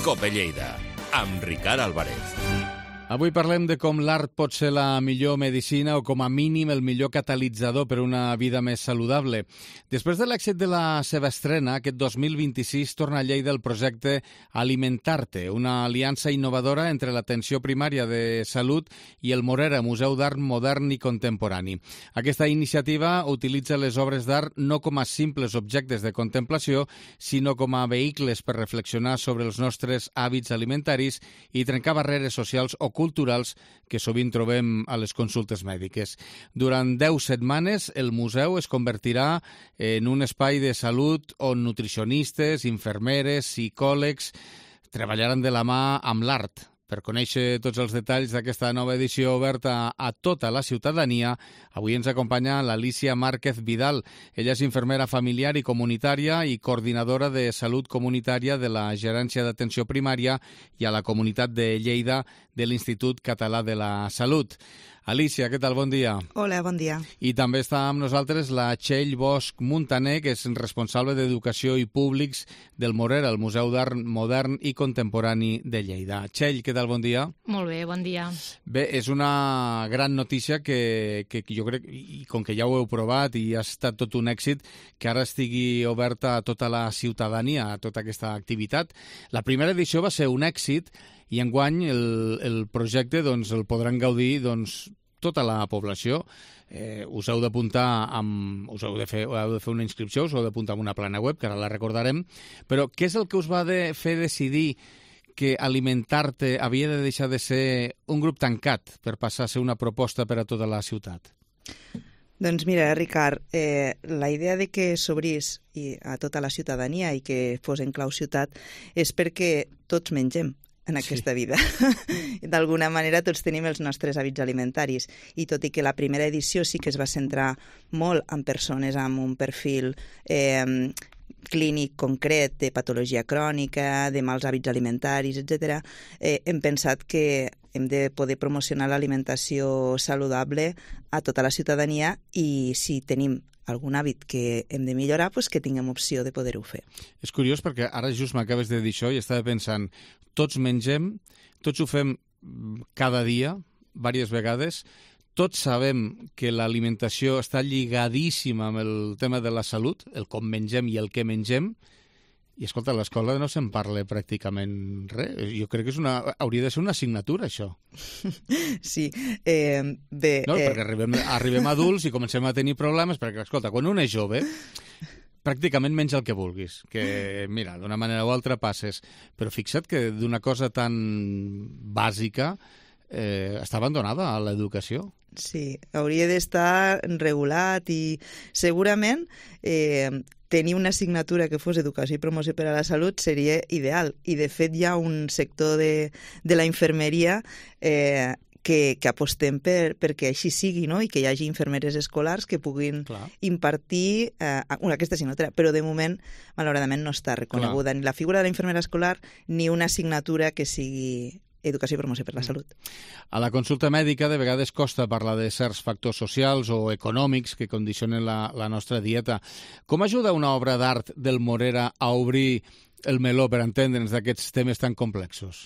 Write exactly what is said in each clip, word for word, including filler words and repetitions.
Cope Lleida, amb Ricard Álvarez. Avui parlem de com l'art pot ser la millor medicina o com a mínim el millor catalitzador per una vida més saludable. Després de l'èxit de la seva estrena, aquest dos mil vint-i-sis torna a Lleida el projecte Alimentarte, una aliança innovadora entre l'atenció primària de salut i el Morera, Museu d'Art Modern i Contemporani. Aquesta iniciativa utilitza les obres d'art no com a simples objectes de contemplació, sinó com a vehicles per reflexionar sobre els nostres hàbits alimentaris i trencar barreres socials o culturals que sovint trobem a les consultes mèdiques. Durant deu setmanes, el museu es convertirà en un espai de salut on nutricionistes, infermeres, psicòlegs treballaran de la mà amb l'art. Per conèixer tots els detalls d'aquesta nova edició oberta a tota la ciutadania, avui ens acompanya l'Alícia Márquez Vidal. Ella és infermera familiar i comunitària i coordinadora de salut comunitària de la Gerència d'Atenció Primària i a la Comunitat de Lleida de l'Institut Català de la Salut. Alícia, què tal? Bon dia. Hola, bon dia. I també està amb nosaltres la Txell Bosch Muntaner, que és responsable d'Educació i Públics del Morera, el Museu d'Art Modern i Contemporani de Lleida. Txell, què tal? Bon dia. Molt bé, bon dia. Bé, és una gran notícia que, que jo crec, i com que ja ho heu provat i ha estat tot un èxit, que ara estigui oberta a tota la ciutadania, a tota aquesta activitat. La primera edició va ser un èxit i enguany el, el projecte doncs, el podran gaudir doncs, tota la població. Eh, us heu d'apuntar amb, us heu de, fer, heu de fer una inscripció, us heu d'apuntar amb una plana web, que ara la recordarem, però què és el que us va de fer decidir que Alimentarte havia de deixar de ser un grup tancat per passar a ser una proposta per a tota la ciutat? Doncs mira, Ricard, eh, la idea de que s'obrís a tota la ciutadania i que fos en clau ciutat és perquè tots mengem en aquesta sí. vida. D'alguna manera tots tenim els nostres hàbits alimentaris i tot i que la primera edició sí que es va centrar molt en persones amb un perfil eh, clínic concret de patologia crònica, de mals hàbits alimentaris, etcètera, eh, hem pensat que hem de poder promocionar l'alimentació saludable a tota la ciutadania i si tenim algun hàbit que hem de millorar, doncs que tinguem opció de poder-ho fer. És curiós perquè ara just m'acabes de dir això i estava pensant, tots mengem, tots ho fem cada dia, diverses vegades, tots sabem que l'alimentació està lligadíssima amb el tema de la salut, el com mengem i el què mengem, i escolta, a l'escola no se'n parla pràcticament res. Jo crec que és una, hauria de ser una assignatura, això. Sí, eh, bé... No, eh... perquè arribem, arribem adults i comencem a tenir problemes, perquè, escolta, quan un és jove, pràcticament menja el que vulguis, que, mira, d'una manera o altra passes. Però fixa't que d'una cosa tan bàsica eh, està abandonada a l'educació. Sí, hauria d'estar regulat i segurament eh, tenir una assignatura que fos Educació i Promoció per a la Salut seria ideal. I, de fet, hi ha un sector de, de la infermeria eh, que, que apostem per, perquè així sigui, no? I que hi hagi infermeres escolars que puguin Clar. impartir eh, una, aquesta assignatura. Però, de moment, malauradament, no està reconeguda Clar. ni la figura de la infermera escolar ni una assignatura que sigui Educació i Promoció per la Salut. A la consulta mèdica de vegades costa parlar de certs factors socials o econòmics que condicionen la, la nostra dieta. Com ajuda una obra d'art del Morera a obrir el meló per entendre'ns d'aquests temes tan complexos?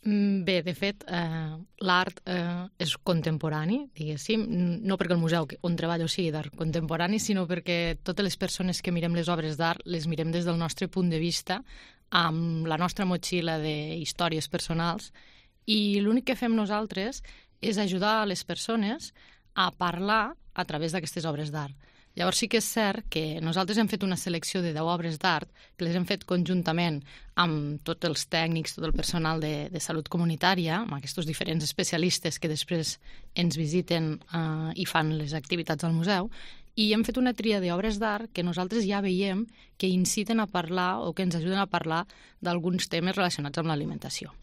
Bé, de fet, eh, l'art eh, és contemporani, diguéssim, no perquè el museu on treballo sigui d'art contemporani, sinó perquè totes les persones que mirem les obres d'art les mirem des del nostre punt de vista, amb la nostra motxilla de històries personals, i l'únic que fem nosaltres és ajudar a les persones a parlar a través d'aquestes obres d'art. Llavors sí que és cert que nosaltres hem fet una selecció de deu obres d'art que les hem fet conjuntament amb tots els tècnics, tot el personal de, de salut comunitària, amb aquests diferents especialistes que després ens visiten eh, i fan les activitats al museu, i hem fet una tria d'obres d'art que nosaltres ja veiem que inciten a parlar o que ens ajuden a parlar d'alguns temes relacionats amb l'alimentació.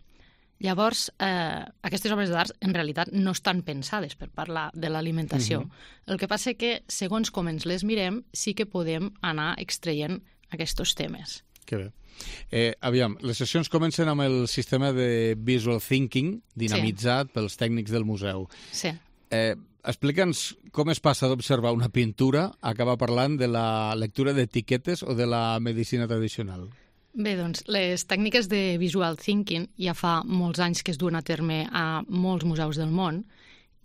Llavors, eh, aquestes obres d'art en realitat no estan pensades per parlar de l'alimentació. Uh-huh. El que passa que, segons com ens les mirem, sí que podem anar extraient aquests temes. Que bé. Eh, aviam, les sessions comencen amb el sistema de visual thinking dinamitzat sí. pels tècnics del museu. Sí. Eh, Explica'ns com es passa d'observar una pintura a acabar parlant de la lectura d'etiquetes o de la medicina tradicional. Bé, doncs, les tècniques de visual thinking ja fa molts anys que es duen a terme a molts museus del món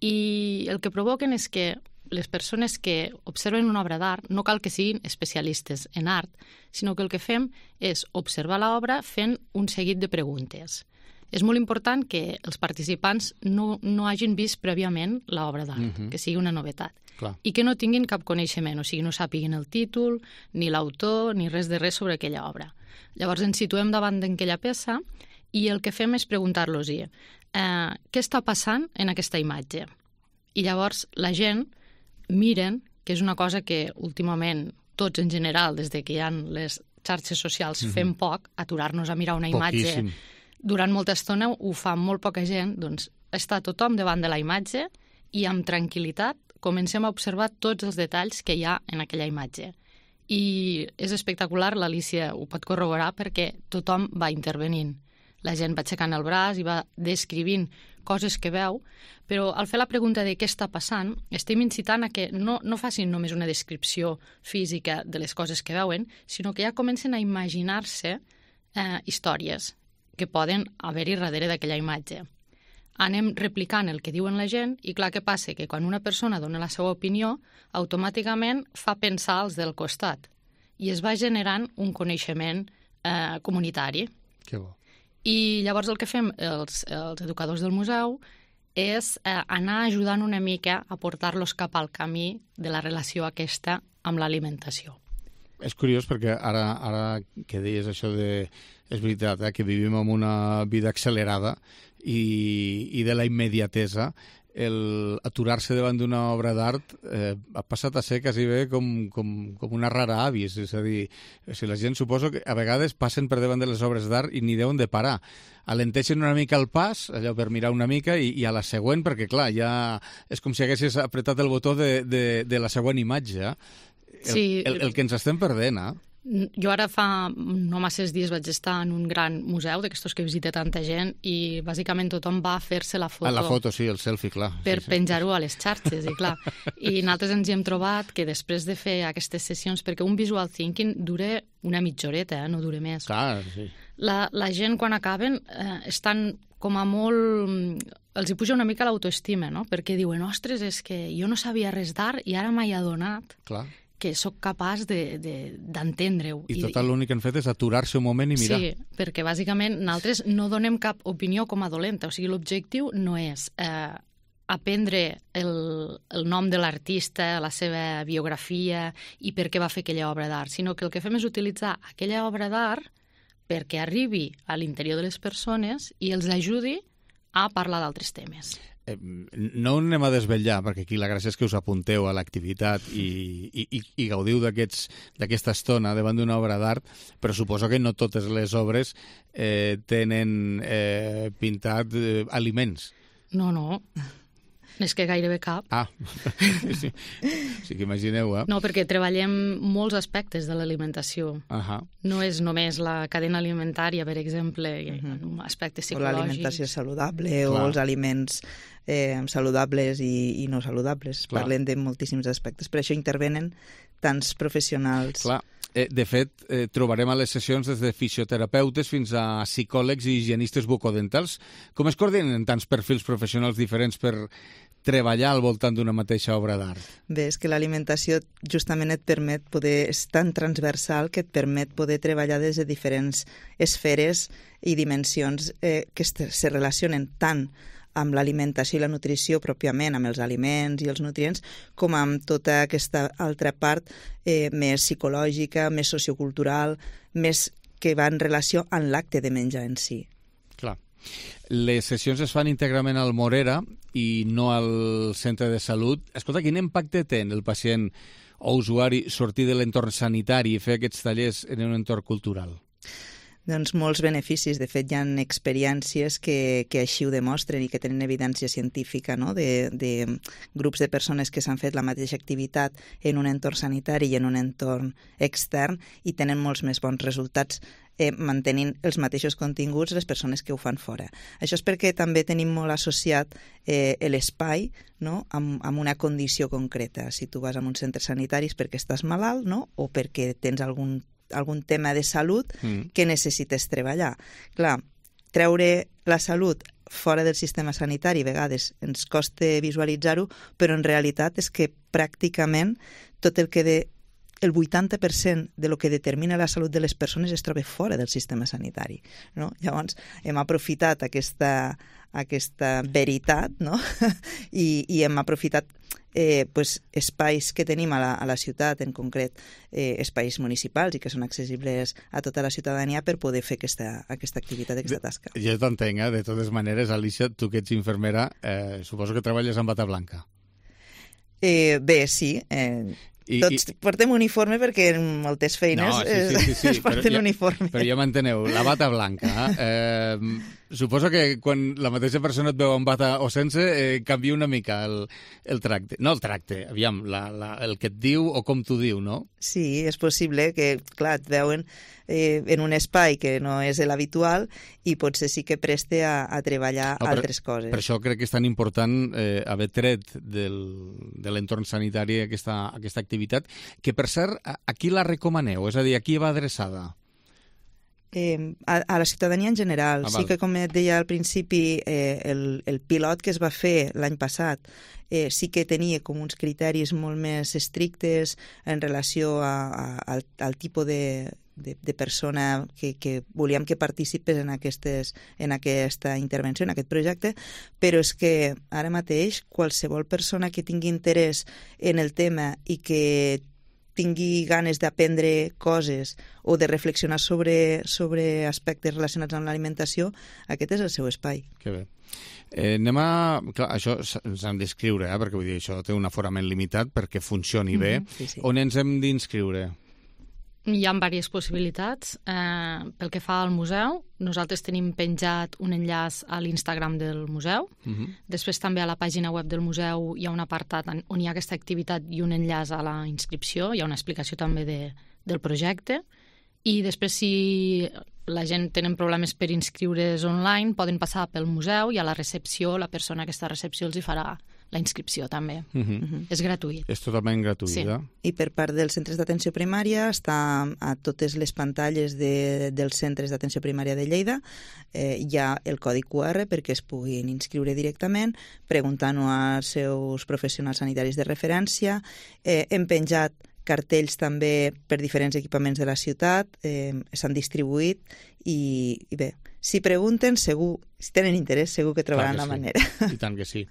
i el que provoquen és que les persones que observen una obra d'art no cal que siguin especialistes en art, sinó que el que fem és observar l'obra fent un seguit de preguntes. És molt important que els participants no, no hagin vist prèviament l'obra d'art, uh-huh. que sigui una novetat. Clar. I que no tinguin cap coneixement, o sigui, no sàpiguin el títol, ni l'autor, ni res de res sobre aquella obra. Llavors ens situem davant d'aquella peça i el que fem és preguntar-los-hi eh, què està passant en aquesta imatge. I llavors la gent miren, que és una cosa que últimament tots en general, des de que hi ha les xarxes socials, mm-hmm. fem poc, aturar-nos a mirar una imatge. Poquíssim. Durant molta estona ho fa molt poca gent, doncs està tothom davant de la imatge i amb tranquil·litat comencem a observar tots els detalls que hi ha en aquella imatge. I és espectacular, l'Alícia ho pot corroborar, perquè tothom va intervenint. La gent va aixecant el braç i va descrivint coses que veu, però al fer la pregunta de què està passant, estem incitant a que no, no facin només una descripció física de les coses que veuen, sinó que ja comencen a imaginar-se eh, històries que poden haver-hi darrere d'aquella imatge. Anem replicant el que diuen la gent i clar, què passa? Que quan una persona dona la seva opinió, automàticament fa pensar als del costat i es va generant un coneixement eh, comunitari. Que bo. I llavors el que fem els, els educadors del museu és eh, anar ajudant una mica a portar-los cap al camí de la relació aquesta amb l'alimentació. És curiós perquè ara, ara que deies això de... És veritat, eh, que vivim en una vida accelerada i, i de la immediatesa, el aturar-se davant d'una obra d'art eh, ha passat a ser quasi bé com, com, com una rara avis. És a dir, si la gent suposo que a vegades passen per davant de les obres d'art i ni deuen de parar. Alenteixen una mica el pas, allò per mirar una mica, i, i a la següent, perquè clar, ja és com si haguessis apretat el botó de, de, de la següent imatge. El, sí. el, el que ens estem perdent, eh? Jo ara fa no masses dies vaig estar en un gran museu d'aquestos que visita tanta gent i bàsicament tothom va a fer-se la foto. A la foto, sí, el selfie, clar. Per sí, sí. penjar-ho a les xarxes, i clar. I nosaltres ens hi hem trobat que després de fer aquestes sessions, perquè un visual thinking dura una mitja horeta, eh? No dura més. Clar, sí. La, la gent quan acaben eh, estan com a molt... Els hi puja una mica l'autoestima, no? Perquè diuen, ostres, és que jo no sabia res d'art i ara m'he adonat Clar. que sóc capaç d'entendre-ho. De, de, I tot l'únic que han fet és aturar-se un moment i mirar. Sí, perquè bàsicament nosaltres no donem cap opinió com a dolenta. O sigui, l'objectiu no és eh, aprendre el, el nom de l'artista, la seva biografia i per què va fer aquella obra d'art, sinó que el que fem és utilitzar aquella obra d'art perquè arribi a l'interior de les persones i els ajudi a parlar d'altres temes. Eh, no anem a desvetllar, perquè aquí la gràcia és que us apunteu a l'activitat i, i, i gaudiu d'aquesta estona davant d'una obra d'art, però suposo que no totes les obres eh, tenen eh, pintat eh, aliments. No, no. És que gairebé cap. Ah, sí, sí que imagineu, eh? No, perquè treballem molts aspectes de l'alimentació. Uh-huh. No és només la cadena alimentària, per exemple, uh-huh. aspectes psicològics. O l'alimentació saludable, Clar. o els aliments eh, saludables i, i no saludables. Clar. Parlem de moltíssims aspectes. Per això intervenen tants professionals. Clar. Eh, de fet, eh, trobarem a les sessions des de fisioterapeutes fins a psicòlegs i higienistes bucodentals. Com es coordinen tants perfils professionals diferents per treballar al voltant d'una mateixa obra d'art? Bé, és que l'alimentació justament et permet poder... És tan transversal que et permet poder treballar des de diferents esferes i dimensions eh, que se relacionen tant amb l'alimentació i la nutrició pròpiament, amb els aliments i els nutrients, com amb tota aquesta altra part eh, més psicològica, més sociocultural, més que va en relació amb l'acte de menjar en si. Clar. Les sessions es fan íntegrament al Morera i no al centre de salut. Escolta, quin impacte té en el pacient o usuari sortir de l'entorn sanitari i fer aquests tallers en un entorn cultural? Doncs molts beneficis. De fet, hi ha experiències que, que així ho demostren i que tenen evidència científica, no? de, de grups de persones que s'han fet la mateixa activitat en un entorn sanitari i en un entorn extern i tenen molts més bons resultats eh, mantenint els mateixos continguts les persones que ho fan fora. Això és perquè també tenim molt associat eh, l'espai, no? amb, amb una condició concreta. Si tu vas a un centre sanitari és perquè estàs malalt, no? O perquè tens algun algun tema de salut mm. que necessites treballar. Clar, treure la salut fora del sistema sanitari a vegades ens costa visualitzar-ho, però en realitat és que pràcticament tot el que de el vuitanta per cent de lo que determina la salut de les persones es troba fora del sistema sanitari, no? Llavors, hem aprofitat aquesta, aquesta veritat, no? I, i hem aprofitat eh, pues, espais que tenim a la, a la ciutat, en concret eh, espais municipals i que són accessibles a tota la ciutadania per poder fer aquesta, aquesta activitat, aquesta tasca. Jo t'entenc, eh? De totes maneres, Alicia, tu que ets infermera, eh, suposo que treballes amb bata blanca. Eh, bé, sí, eh, I, Tots i... portem uniforme perquè en moltes feines no, sí, sí, sí, sí, es porten però uniforme. Però ja m'enteneu, la bata blanca. Eh, suposo que quan la mateixa persona et veu amb bata o sense, eh, canvia una mica el, el tracte. No el tracte, aviam, la, la, el que et diu o com t'ho diu, no? Sí, és possible que, clar, et veuen eh, en un espai que no és l'habitual i potser sí que preste a, a treballar no, per, altres coses. Per això crec que és tan important eh, haver tret del, de l'entorn sanitari aquesta, aquesta activitat, que per cert, a, a qui la recomaneu? És a dir, a qui va adreçada? Eh, a, a la ciutadania en general. Ah, sí que, com et deia al principi, eh, el, el pilot que es va fer l'any passat eh, sí que tenia com uns criteris molt més estrictes en relació a, a, al, al tipus de, de, de persona que, que volíem que participés en, aquestes, en aquesta intervenció, en aquest projecte, però és que ara mateix qualsevol persona que tingui interès en el tema i que tingui ganes d'aprendre coses o de reflexionar sobre, sobre aspectes relacionats amb l'alimentació, aquest és el seu espai. Que bé. Eh, anem a... Clar, això ens hem d'inscriure, eh? Perquè vull dir, això té un aforament limitat perquè funcioni bé. Mm-hmm, sí, sí. On ens hem d'inscriure? Hi ha diverses possibilitats. Eh, pel que fa al museu, nosaltres tenim penjat un enllaç a l'Instagram del museu. Uh-huh. Després també a la pàgina web del museu hi ha un apartat on hi ha aquesta activitat i un enllaç a la inscripció. Hi ha una explicació també de, del projecte. I després, si la gent tenen problemes per inscriure's online, poden passar pel museu i a la recepció, la persona que està a recepció els hi farà la inscripció també. Uh-huh. Uh-huh. És gratuït. És totalment gratuït, sí. Eh? I per part dels centres d'atenció primària està a totes les pantalles de, dels centres d'atenció primària de Lleida. Eh, hi ha el codi Q R perquè es puguin inscriure directament, preguntant-ho als seus professionals sanitaris de referència. Eh, hem penjat cartells també per diferents equipaments de la ciutat, eh, s'han distribuït i, i bé, si pregunten, segur, si tenen interès, segur que trobaran la sí. manera. I tant que sí.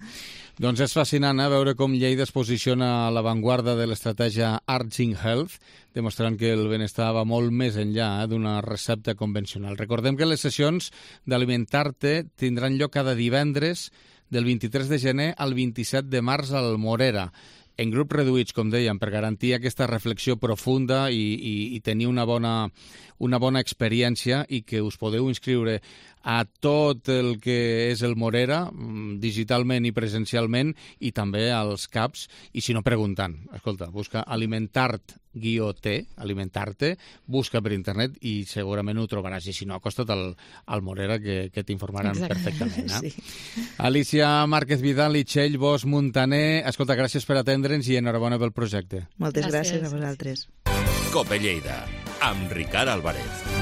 Doncs és fascinant eh, veure com Lleida es posiciona a l'avantguarda de l'estratègia Arts in Health, demostrant que el benestar va molt més enllà eh, d'una recepta convencional. Recordem que les sessions d'Alimentar-te tindran lloc cada divendres del vint-i-tres de gener al vint-i-set de març al Morera, en grups reduïts, com dèiem, per garantir aquesta reflexió profunda i, i, i tenir una bona, una bona experiència i que us podeu inscriure a tot el que és el Morera, digitalment i presencialment, i també als C A Ps, i si no, preguntant. Escolta, busca Alimentart guió T, Alimentarte, busca per internet i segurament ho trobaràs. I si no, acosta't al, al Morera, que, que t'informaran Exacte. perfectament. Eh? Sí. Alicia Márquez Vidal i Txell Bosch Muntaner, escolta, gràcies per atendre'ns i enhorabona pel projecte. Moltes gràcies, gràcies a vosaltres. Cope Lleida, amb Ricard Álvarez.